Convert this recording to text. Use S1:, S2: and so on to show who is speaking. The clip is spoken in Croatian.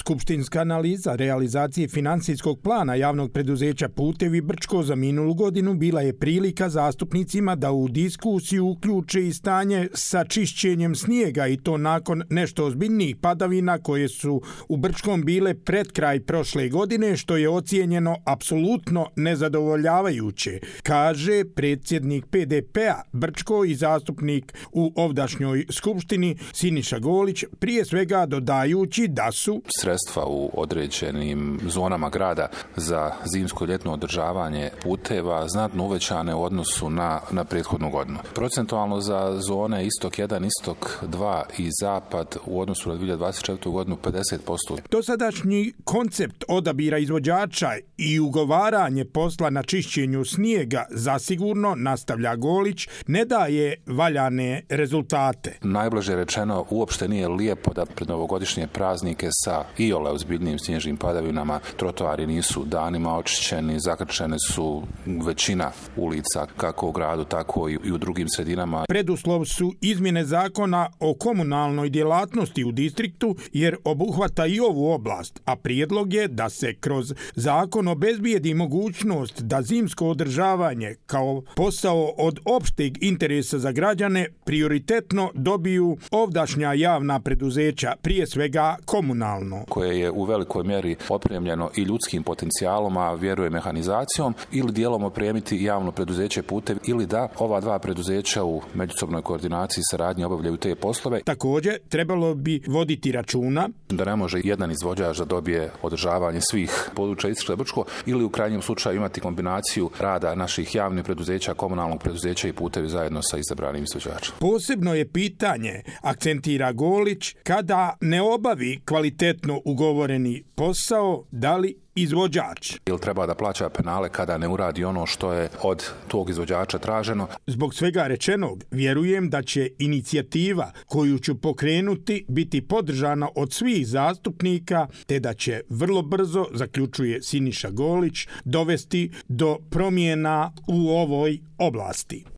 S1: Skupštinska analiza realizacije financijskog plana javnog preduzeća Putevi Brčko za minulu godinu bila je prilika zastupnicima da u diskusiju uključe i stanje sa čišćenjem snijega i to nakon nešto ozbiljnijih padavina koje su u Brčkom bile pred kraj prošle godine, što je ocijenjeno apsolutno nezadovoljavajuće, kaže predsjednik PDP-a Brčko i zastupnik u ovdašnjoj skupštini Siniša Golić, prije svega dodajući da su
S2: sredstva u određenim zonama grada za zimsko i ljetno održavanje puteva znatno uvećane u odnosu na prethodnu godinu. Procentualno za zone istok 1, istok 2 i zapad u odnosu na 2024. godinu 50%.
S1: Dosadašnji koncept odabira izvođača i ugovaranje posla na čišćenju snijega zasigurno, nastavlja Golić, ne daje valjane rezultate.
S2: Najblaže rečeno, uopšte nije lijepo da pred novogodišnje praznike sa iole ozbiljnim snježnim padavinama trotoari nisu danima očišćeni, zakrčene su većina ulica kako u gradu, tako i u drugim sredinama.
S1: Preduslov su izmjene zakona o komunalnoj djelatnosti u distriktu jer obuhvata i ovu oblast, a prijedlog je da se kroz zakon obezbijedi mogućnost da zimsko održavanje kao posao od opšteg interesa za građane prioritetno dobiju ovdašnja javna preduzeća, prije svega komunalno.
S2: Koje je u velikoj mjeri opremljeno i ljudskim potencijalom, a vjeruje mehanizacijom, ili dijelom opremiti javno preduzeće Putevi ili da ova dva preduzeća u međusobnoj koordinaciji i saradnji obavljaju te poslove.
S1: Također, trebalo bi voditi računa
S2: da ne može jedan izvođač da dobije održavanje svih područja Istre Brčko ili u krajnjem slučaju imati kombinaciju rada naših javnih preduzeća, komunalnog preduzeća i Putevi zajedno sa izabranim izvođačem.
S1: Posebno je pitanje, akcentira Golić, kada ne obavi kvalitetno ugovoreni posao, da li izvođač
S2: ili treba da plaća penale kada ne uradi ono što je od tog izvođača traženo.
S1: Zbog svega rečenog, vjerujem da će inicijativa koju ću pokrenuti biti podržana od svih zastupnika, te da će vrlo brzo, zaključuje Siniša Golić, dovesti do promjena u ovoj oblasti.